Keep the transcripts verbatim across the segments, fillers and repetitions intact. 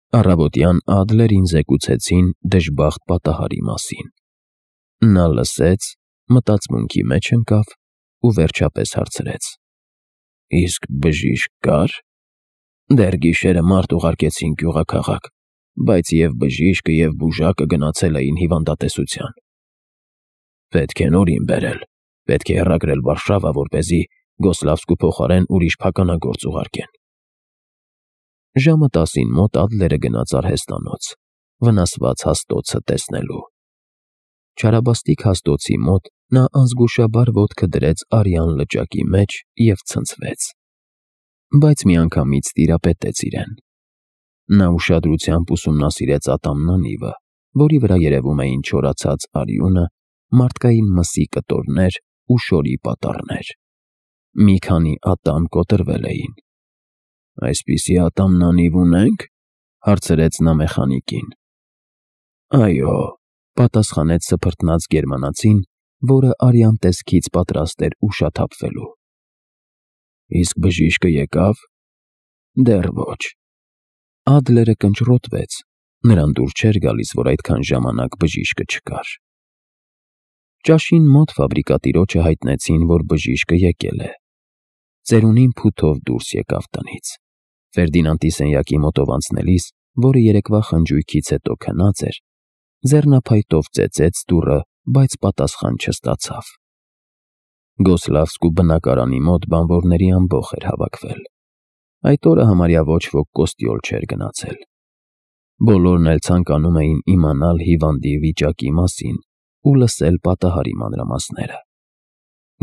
Առավոտյան Ադլերին զեկուցեցին դժբախտ պատահարի մասին։ Նա լսեց, մտածմունքի մեջ ընկավ ու վերջապես հարցրեց. «Իսկ բժիշկ կա՞ր»։ «Դեռ գիշերը մարդ ուղարկեցին գյուղաքաղաք, բայց և բժիշկը, և բուժակը գնացել էին հիվանդատեսության»։ «Պետք է նորին բերել, պետք է հեռագրել Վարշավա, որպեսզի Գոսլավսկու փոխարեն ուրիշ փականագործ ուղարկեն»։ Ժամը տասին մոտ Ադլերը գնաց արհեստանոց՝ վնասված հաստոցը տեսնելու։ Չարաբաստիկ հաստոցի մոտ նա անզգուշաբար ոտքը դրեց արյան լճակի մեջ և ցնցվեց։ Բայց միանգամից տիրապետեց իրեն։ Նա ուշադրությամբ ուսումնասիրեց ատամն անիվը, որի վրա երևում էին չորացած արյունը, մարդկային մսի կտորներ ու շորի պատառներ։ Մի քանի ատամ կոտրվել էին։ «Այսպիսի ատամնանիվ ունե՞նք»։ հարցրեց նա մեխանիկին։ «Այո», պատասխանեց սփռտնած գերմանացին, որը արյան տեսքից պատրաստ էր ուշաթափվելու։ «Իսկ բժիշկը եկա՞վ»։ «Դեռ ոչ»։ Ադլերը կնճռոտվեց, նրան դուր չէր գալիս, որ այդքան ժամանակ բժիշկը չկար։ Ճաշին մոտ ֆաբրիկատիրոջը հայտնեցին, որ բժիշկը եկել է։ Ծերունին փութով դուրս եկավ տնից։ Ֆերդինանդի սենյակի մոտով անցնելիս, որը երեկվա խնջույքից հետո քնած էր, ձեռնափայտով ծեծեց դուռը, բայց պատասխան չստացավ։ Գոսլավսկու բնակարանի մոտ բանվորների ամբոխ էր հավաքվել։ Այդ օրը համարյա ոչ ոք կոստյոլ չէր գնացել։ Բոլորն էլ ցանկանում էին իմանալ հիվանդի վիճակի մասին ու լսել պատահարի մանրամասները։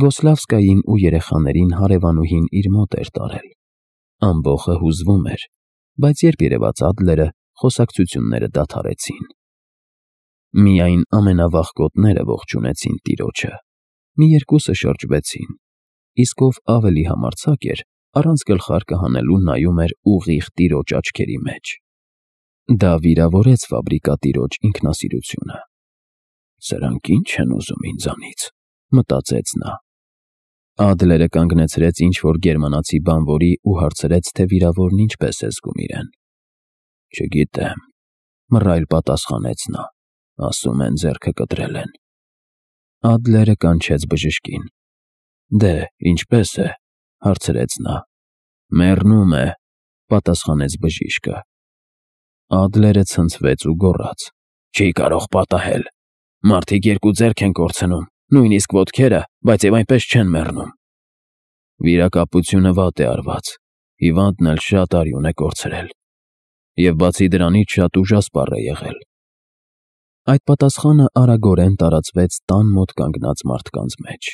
Գոսլավսկային ու երեխաներին հարևանուհին իր մոտ էր տարել։ Ամբոխը հուզվում էր, բայց երբ երևաց Ադլերը, խոսակցությունները դադարեցին։ Միայն ամենավախկոտները ողջունեցին տիրոջը։ Մի երկուսը շրջվեցին, իսկ ով ավելի համարձակ էր, առանց գլխարկը հանելու նայում էր ուղիղ տիրոջ աչքերի մեջ։ Դա վիրավորեց ֆաբրիկատիրոջ ինքնասիրությունը։ «Սրանք ի՞նչ են ուզում ինձանից», մտածեց նա։ Ադլերը կանգնեցրեց ինչ-որ գերմանացի բանվորի ու հարցրեց, թե վիրավորն ինչպես է զգում իրեն։ «Չգիտեմ», մռայլ պատասխանեց նա, «ասում են ձեռքը կտրել են»։ Ադլերը կանչեց բժշկին։ «Դե, ինչպե՞ս է», հարցրեց նա։ «Մեռնում է», պատասխանեց բժիշկը։ Ադլերը ցնցվեց ու գոռաց. «Չի կարող պատահել։ Մարդիկ երկու ձեռք են կորցնում, նույնիսկ ոտքերը, բայց և այնպես չեն մեռնում»։ «Վիրակապությունը վատ է արված, հիվանդն էլ շատ արյուն է կորցրել։ Եվ բացի դրանից շատ ուժասպառ է եղել»։ Այդ պատասխանը արագորեն տարածվեց տան մոտ կանգնած մարդկանց մեջ։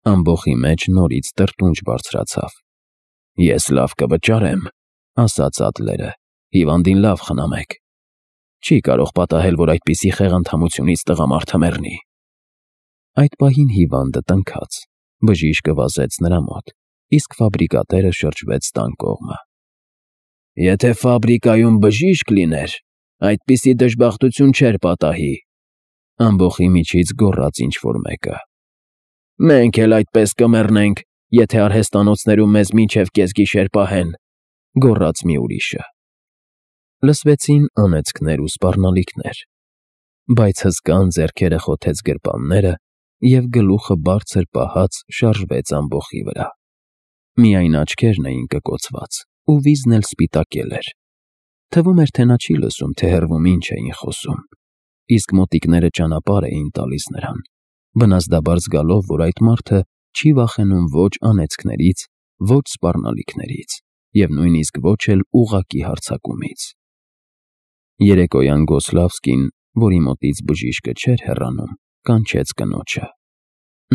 Ամբոխի մեջ նորից տրտունջ բարձրացավ։ «Ես լավ կվճարեմ», ասաց Ադլերը, «հիվանդին լավ խնամեք։ Չի կարող պատահել, որ այդպիսի խեղանդամությունից տղամարդը մեռնի»։ Այդ պահին հիվանդը տնքաց։ Բժիշկը վազեց նրա մոտ, իսկ ֆաբրիկատերը շրջվեց տան կողմը։ «Եթե ֆաբրիկայում բժիշկ լիներ, այդպիսի դժբախտություն չէր պատահի», ամբոխի միջից գոռաց ինչ֊որ մեկը։ «Մենք էլ այդպես կմեռնենք, եթե արհեստանոցներում մեզ մինչև կեսգիշեր պահեն», գոռաց մի ուրիշը։ Լսվեցին անեծքներ ու սպառնալիքներ, բայց հսկան ձեռքերը խոթեց գրպանները, և գլուխը բարձր պահած շարժվեց ամբոխի վրա։ Միայն աչքերն էին կկոցված, ու վիզն էլ սպիտակել էր։ Թվում էր, թե նա չի լսում, թե հեռվում ինչ էին խոսում, իսկ մոտիկները ճանապարհ էին տալիս նրան, վնասդաբար զգալով, որ այդ մարդը չի վախենում ոչ անեծքներից, ոչ սպառնալիքներից և նույնիսկ ոչ էլ ուղղակի հարձակումից։ Երեկոյան Գոսլավսկին, որի մոտից բժիշկը չէր հեռանում, կանչեց կնոջը։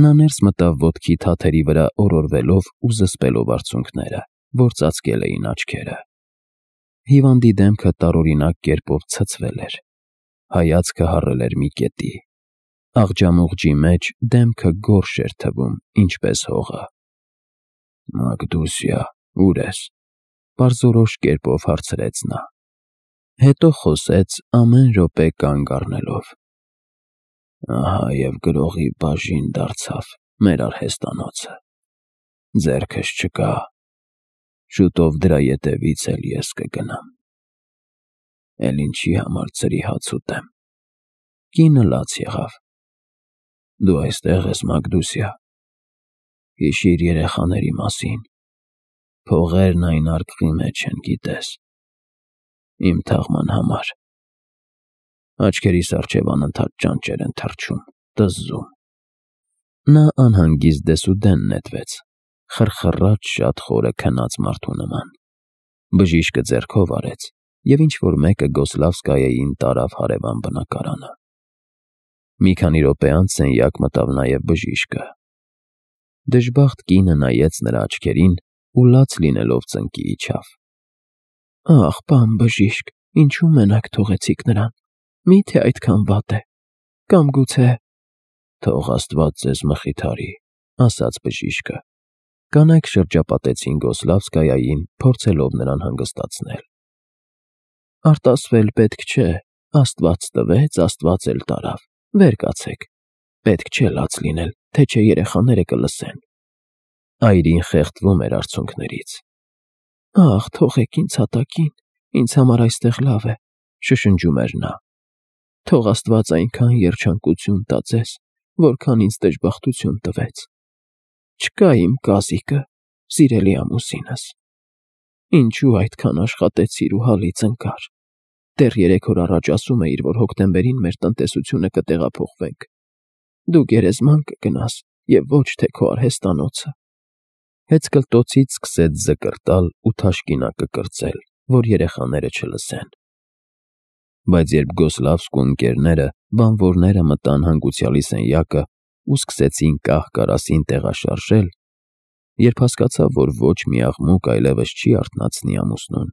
Նա ներս մտավ ոտքի թաթերի վրա օրորվելով ու զսպելով արցունքները, որ ծածկել էին աչքերը։ Հիվանդի դեմքը տարօրինակ կերպով ցցվել էր։ Հայացքը հառել էր մի կետի։ Աղջամուղջի մեջ դեմքը գորշ էր թվում, ինչպես հողը։ «Մակդուսիա, ո՞ւր ես», պարզորոշ կերպով հարցրեց նա։ Հետո խոսեց ամեն րոպե կանգ առնելով. «Ահա և գրողի բաժին դարձավ մեր արհեստանոցը։ Ձեռքս չկա։ Շուտով դրա ետևից էլ ես կգնամ»։ էլ ինչի համար ծրի հաց ուտեմ։ Կինը լաց եղավ։ Դու այստեղ ես, Մագդուսյա։ Հիշիր երեխաների մասին։ Փողերն այն արկղի մեջ են, գիտես։ Իմ թաղման համար։ Աչքերիս առջև անընդհատ ճանճեր են թռչում, տզզում։ Նա անհանգիստ դեսուդեն նետվեց, խրխռաց շատ խորը քնած մարդու նման։ Բժիշկը ձեռքով արեց, և ինչ-որ մեկը Գոսլավսկայեին տարավ հարևան բնակարանը։ Մի քանի րոպե անց սենյակ մտավ նաև բժիշկը։ Դժբախտ կինը նայեց նրա աչքերին ու լաց լինելով ծնկի իջավ։ Ախ, պան բժիշկ, ինչու մենակ թողեցիք նրան, մի՞թե այդքան վատ է, կամ գուցե… Թող Աստված ձեզ մխիթարի, ասաց բժիշկը։ Կանայք շրջապատեցին Գոսլավսկայային, փորձելով նրան հանգստացնել։ Արտասվել պետք չէ, Աստված տվեց, Աստված էլ տարավ, վեր կացեք, պետք չէ լաց լինել, թե չէ երեխաները կլսեն։ Այրին խեղդվում էր արցունքներից։ Ախ, թողեք ինձ հատակին, ինձ համար այստեղ լավ է, շշնջում էր նա։ Թող Աստված այնքան երջանկություն տա ձեզ, որքան ինձ դժբախտություն տվեց։ Չկա իմ կազիկը, սիրելի ամուսինս։ Ինչու այդքան աշխատեցիր ու հալից ընկար։ Դեռ երեք օր առաջ ասում էիր, որ հոկտեմբերին մեր տնտեսությունը կտեղափոխվենք։ Դու գերեզման կգնաս և ոչ թե քո արհեստանոցը։ Հեծկլտոցից սկսեց զկրտալ ու թաշկինակը կրծել, որ երեխաները չլսեն։ Բայց երբ Գոսլավսկու ընկերները, բանվորները մտան հանգուցյալի սենյակը ու սկսեցին կահ֊կարասին տեղաշարժել, երբ հասկացավ, որ ոչ մի աղմուկ այլևս չի արթնացնի ամուսնուն,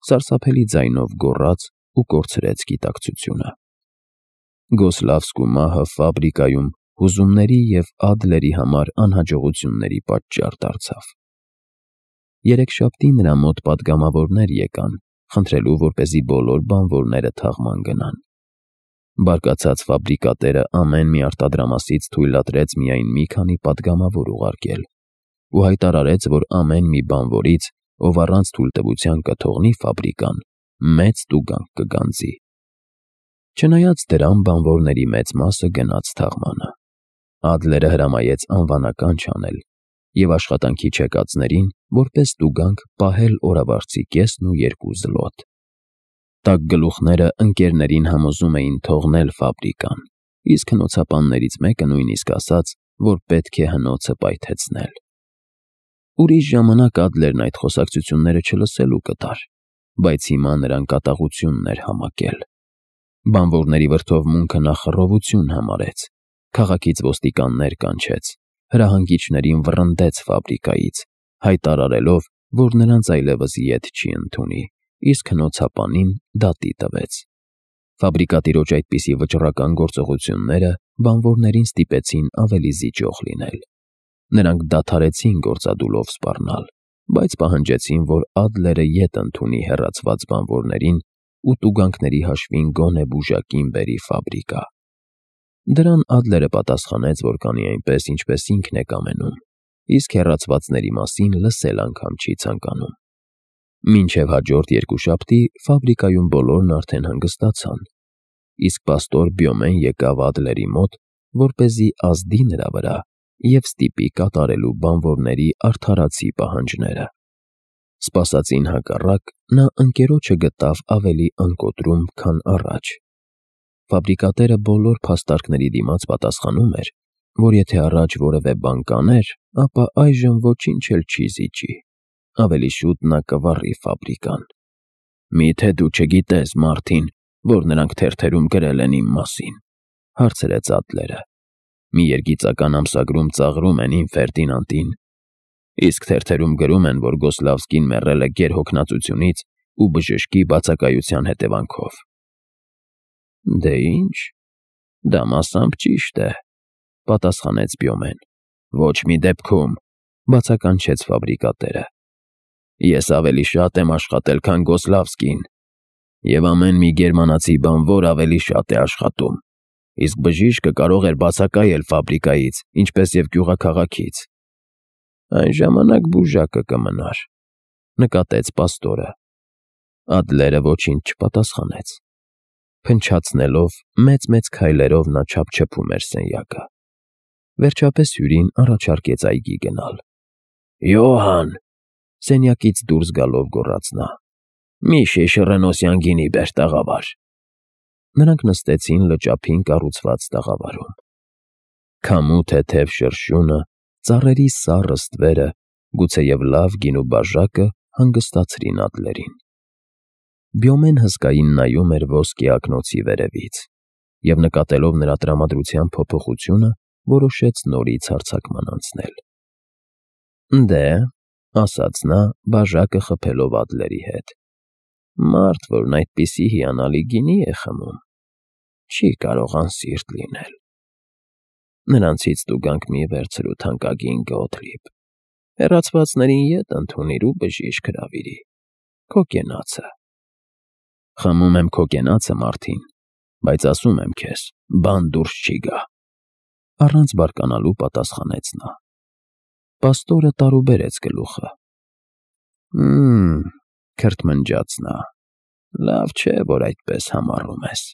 սարսափելի ձայնով գոռաց ու կորցրեց գիտակցությունը։ Գոսլավսկու մահը ֆաբրիկայում հուզումների և Ադլերի համար անհաջողությունների պատճառ դարձավ։ Երեքշաբթի նրա մոտ պատգամավորներ եկան, խնդրելու, որպեսզի բոլոր բանվորները թաղման գնան։ Բարկացած ֆաբրիկատերը ամեն մի արտադրամասից թույլատրեց միայն մի քանի պատգամավոր ուղարկել ու հայտարարեց, որ ամեն մի բանվորից, ով առանց թույլտվության կթողնի ֆաբրիկան, մեծ տուգանք կգանձի։ Չնայած դրան, բանվորների մեծ մասը գնաց թաղմանը։ Ադլերը հրամայեց անվանական չանել և աշխատանքի չեկածներին, որպես տուգանք, պահել օրավարձի կեսն ու երկու զլոտ։ Տաք գլուխները ընկերներին համոզում էին թողնել ֆաբրիկան, իսկ հնոցապաններից մեկը նույնիսկ ասաց, որ պետք է հնոցը պայթեցնել։ Ուրիշ ժամանակ Ադլերն այդ խոսակցությունները չլսելու կտար, բայց հիմա նրան կատաղությունն էր համակել։ Բանվորների վրդովմունքը նա խռովություն համարեց, քաղաքից ոստիկաններ կանչեց, հրահանգիչներին վռնդեց ֆաբրիկայից, հայտարարելով, որ նրանց այլևս ետ չի ընդունի, իսկ հնոցապանին դատի տվեց։ Ֆաբրիկատիրոջ այդպիսի վճռական գործողությունները բանվորներին ստիպեցին ավելի զիջող լինել։ Նրանք դադարեցին գործադուլով սպառնալ, բայց պահանջեցին, որ Ադլերը ետ ընդունի հեռացված բանվորներին ու տուգանքների հաշվին գոնե բուժակին բերի ֆաբրիկա։ Դրան Ադլերը պատասխանեց, որ կանի այնպես, ինչպես ինքն է կամենում, իսկ հեռացվածների մասին լսել անգամ չի ցանկանում։ Մինչև հաջորդ երկուշաբթի ֆաբրիկայում բոլորն արդեն հանգստացան, իսկ պաստոր Բյոմեն եկավ Ադլերի մոտ, որպեսզի ազդի նրա վրա և ստիպի կատարելու բանվորների արդարացի պահանջները։ Սպասածին հակառակ, նա ընկերոջը գտավ ավելի անկոտրում, քան առաջ։ Ֆաբրիկատերը բոլոր փաստարկների դիմաց պատասխանում էր, որ եթե առաջ որևէ բան կաներ, ապա այժմ ոչինչ էլ չի զիջի, ավելի շուտ նա կվառի ֆաբրիկան։ Մի՞թե դու չգիտես, Մարտին, որ նրանք թերթերում գրել են իմ մասին, հարցրեց Ադլերը։ Մի երգիծական ամսագրում ծաղրում են իմ Ֆերդինանդին, իսկ թերթերում գրում են, որ Գոսլավսկին մեռել է գերհոգնածությունից ու բժշկի բացակայության հետևանքով։ Դե ինչ, դա մասամբ ճիշտ է, պատասխանեց Բյոմեն։ Ոչ մի դեպքում, բացականչեց ֆաբրիկատերը։ Ես ավելի շատ եմ աշխատել, քան Գոսլավսկին, և ամեն մի գերմանացի բանվոր ավելի շատ է աշխատում, իսկ բժիշկը կարող էր բացակայել ֆաբրիկայից, ինչպես և գյուղաքաղաքից։ Այն ժամանակ բուժակը կմնար, նկատեց պաստորը։ Ադլերը ոչինչ չպատասխանեց։ Փնչացնելով մեծ-մեծ քայլերով նա չափչփում էր սենյակը։ Վերջապես հյուրին առաջարկեց այգի գնալ։ «Յոհան», սենյակից դուրս գալով գոռաց նա, «մի շիշ ռենոսյան գինի բեր, տաղավար»։ Նրանք նստեցին լճափին կառուցված տաղավարում։ Քամու թեթև շրշյունը, ծառերի սառը ստվերը, գուցեև լավ գինու բաժակը հանգստացրին Ադլերին։ Բյոմեն հսկային նայում էր ոսկե ակնոցի վերևից և, նկատելով նրա տրամադրության փոփոխությունը, որոշեց նորից հարձակման անցնել։ «Դե», ասաց նա, բաժակը խփելով Ադլերի հետ, «մարդ, որն այդպիսի հիանալի գինի է խմում, չի կարող անսիրտ լինել։ Նրանցից տուգանք մի վերցրու, թանկագին Գոթլիբ, հեռացվածներին ետ ընդունիր ու բժիշկ հրավիրի, քո կենացը»։ «Խմում եմ քո կենացը, Մարտին, բայց ասում եմ քեզ, բան դուրս չի գա», առանց բարկանալու պատասխանեց նա։ Պաստորը տարուբերեց գլուխը։ «Հը՜մ», քրթմնջաց նա, «լավ չէ, որ այդպես համառում ես։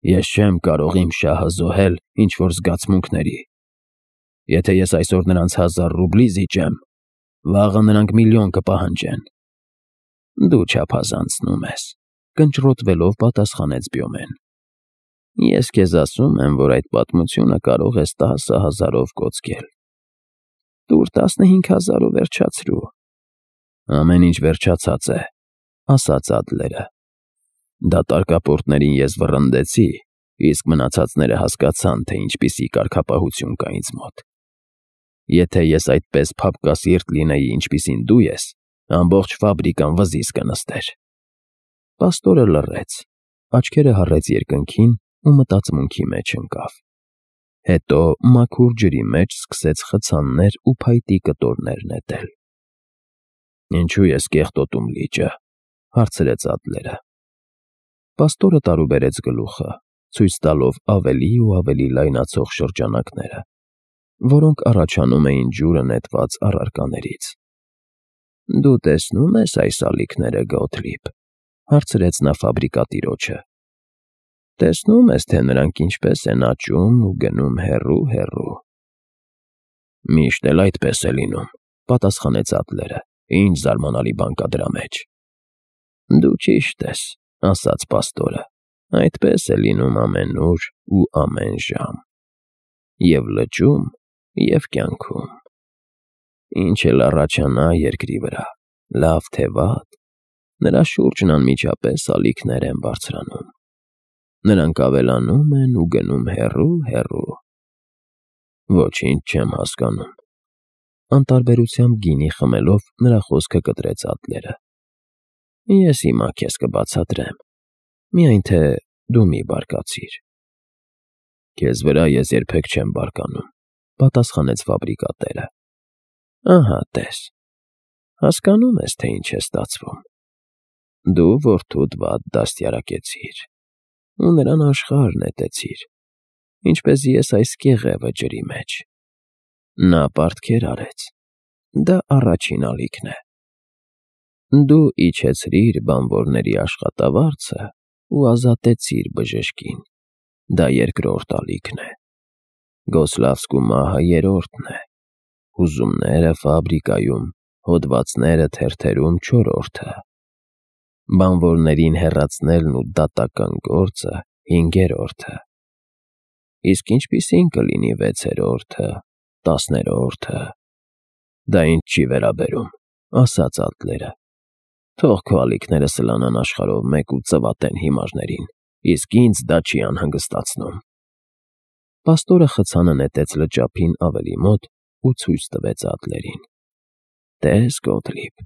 Ես չեմ կարող իմ շահը զոհել ինչ֊որ զգացմունքների։ Եթե ես այսօր նրանց հազար ռուբլի զիջեմ, վաղը նրանք միլիոն կպահանջեն»։ «Դու չափազանցնում ես», կնճռոտվելով պատասխանեց Բյոմեն։ «Ես քեզ ասում եմ, որ այդ պատմությունը կարող ես տասը հազարով կոծկել։ Տուր տասնհինգ հազար ու վերջացրու»։ «Ամեն ինչ վերջացած է», ասաց Ադլերը։ «Դատարկապորտներին ես վռնդեցի, իսկ մնացածները հասկացան, թե ինչպիսի կարգապահություն կա ինձ մոտ։ Եթե ես այդպես փափկասիրտ լինեի, ինչպիսին դու ես, ամբողջ ֆաբրիկան վզից կնստեր»։ Պաստորը լռեց, աչքերը հառեց երկնքին ու մտածմունքի մեջ ընկավ։ Հետո մաքուր ջրի մեջ սկսեց խցաններ ու փայտի կտորներ նետել։ «Ինչո՞ւ ես կեղտոտում լիճը», հարցրեց Ադլերը։ Պաստորը տարուբերեց գլուխը, ցույց տալով ավելի ու ավելի լայնացող շրջանակները, որոնք առաջանում էին ջուրը նետված առարկաներից։ «Դու տեսնո՞ւմ ես այս ալիքները, Գոթլիբ», հարցրեց նա ֆաբրիկատիրոջը։ «Տեսնում ես, թե նրանք ինչպես են աճում ու գնում հեռու֊հեռու»։ «Միշտ էլ այդպես է լինում», պատասխանեց Ադլերը։ «Ինչ զարմանալի բան կա դրա մեջ»։ «Դու ճիշտ ես», ասաց պաստորը, «այդպես է լինում ամենուր ու ամեն ժամ, և լճում, և կյանքում։ Ինչ էլ առաջանա երկրի վրա, լավ թե վատ, նրա շուրջն անմիջապես ալիքներ են բարձրանում։ Նրանք ավելանում են ու գնում հեռու֊հեռու»։ «Ոչինչ չեմ հասկանում», անտարբերությամբ գինի խմելով նրա խոսքը կտրեց Ադլերը։ «Ես հիմա քեզ կբացատրեմ, միայն թե դու մի բարկացիր»։ «Քեզ վրա ես երբեք չեմ բարկանում», պատասխանեց ֆաբրիկատերը։ «Ահա տես, հասկանում ես, թե ինչ է ստացվում։ Դու որդուդ վատ դաստիարակեցիր ու նրան աշխարհ նետեցիր, ինչպես ես այս կեղևը ջրի մեջ։ Նա պարտքեր արեց, դա առաջին ալիքն է։ Դու իջեցրիր բանվորների աշխատավարձը ու ազատեցիր բժշկին, դա երկրորդ ալիքն է։ Գոսլավսկու մահը երրորդն է, հուզումները ֆաբրիկայում, հոդվածները թերթերում չորրորդը, բանվորներին հեռացնելն ու դատական գործը հինգերորդը։ Իսկ ինչպիսի՞ն կլինի վեցերորդը, տասներորդը»։ «Դա ինձ չի վերաբերում», ասաց Ադլերը։ «Թող քո ալիքները սլանան աշխարհով մեկ ու ծվատեն հիմարներին, իսկ ինձ դա չի անհանգստացնում»։ Պաստորը խցանը նետեց լճափին ավելի մոտ ու ցույց տվեց Ադլերին։ «Տես, Գոթլիբ,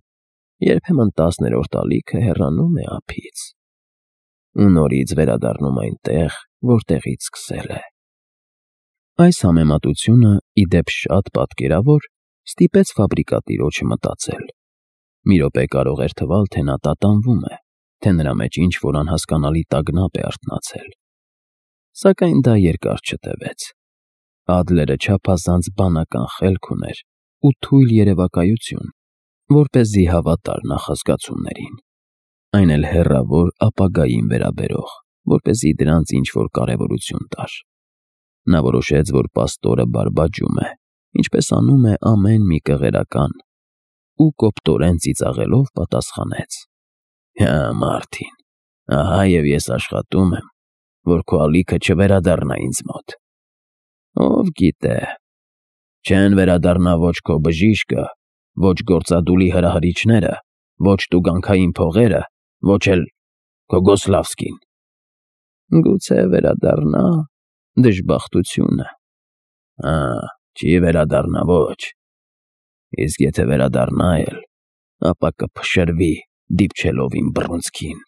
երբեմն տասներորդ ալիքը հեռանում է ափից ու նորից վերադառնում այնտեղ, որտեղից սկսել է»։ Այս համեմատությունը, ի դեպ շատ պատկերավոր, ստիպեց ֆաբրիկատիրոջը մտածել։ Մի րոպե կարող էր թվալ, թե նա տատանվում է, թե նրա մեջ ինչ-որ անհասկանալի տագնապ է արթնացել։ Սակայն դա երկար չտևեց։ Ադլերը չափազանց բանական խելք ուներ ու թույլ երևակայություն, որպեսզի հավատար նախազգացումներին։ այն էլ հեռավոր ապագային վերաբերող, որպեսզի դրանց ինչ-որ կարևորություն տար։ Նա որոշեց, որ պաստորը բարբաջում է, ինչպես անում է ամեն մի կղերական, ու կոպտորեն ծիծաղելով պատասխանեց. «Հա, Մարտին, ահա և ես աշխատում եմ, որ քո ալիքը չվերադառնա ինձ մոտ։ Ով գիտե, չեն վերադառնա ոչ քո բժիշկը, ոչ գործադուլի հրահրիչները, ոչ տուգանքային փողերը, ոչ էլ քո Գոսլավսկին։ Գուցե վերադառնա, դժբախտություն է։ Հա, չի վերադառնա, ոչ։ Իսկ եթե վերադառնա էլ, ապա կփշրվի, դիպչելով իմ բռունցքին,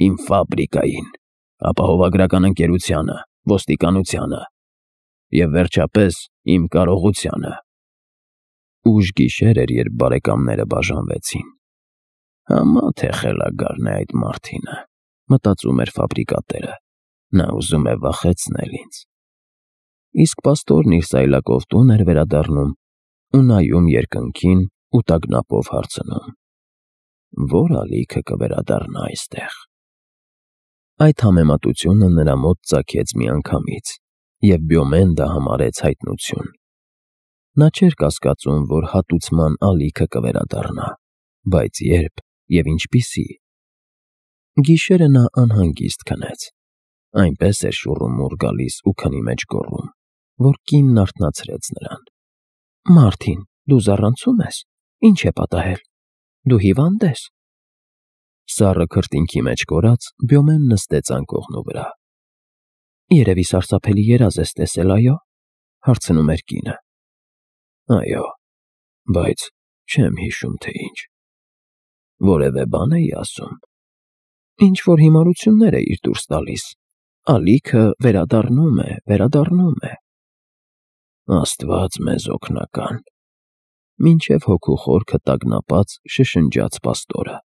իմ ֆաբրիկային, ապահովագրական ընկերությանը, ոստիկանությանը և վերջապես իմ կարողությանը»։ Ուշ գիշեր էր, երբ բարեկամները բաժանվեցին։ «Համա թե խելագարն է այդ Մարտինը», մտածում էր ֆաբրիկատերը, «նա ուզում է վախեցնել ինձ»։ Իսկ պաստորն իր սայլակով էր վերադառնում ու նայում երկնքին ու տագնապով հարցնում. «Ո՞ր ալիքը կվերադառնա այստեղ»։ Այդ համեմատությունը նրա մոտ ծագեց միանգամից, և Բյոմենդը համարեց հայտնություն։ Նա չէր կասկածում, որ հատուցման ալիքը կվերադառնա, բայց ե՞րբ և ինչպիսի։ Գիշերը նա անհանգիստ քնեց, այնպես էր շուռումուռ գալիս ու քնի մեջ գոռում, որ կինն արթնացրեց նրան. «Մարտին, դու զառանցում ես, ի՞նչ է պատահել, դու հիվա՞նդ ես»։ Սառը քրտինքի մեջ կորած՝ Բյոմեն նստեց անկողնու վրա։ «Երևի սարսափելի երազ ես տեսել, այո՞, հարցնում էր կինը։ «Այո, բայց չեմ հիշում, թե ինչ։ Որևէ բան էի ասում»։ «Ինչ֊որ հիմարություններ էիր դուրս տալիս, ալիքը վերադառնում է, վերադառնում է»։ «Աստված մեզ օգնական», մինչև հոգու խորքը տագնապած շշնջաց պաստորը։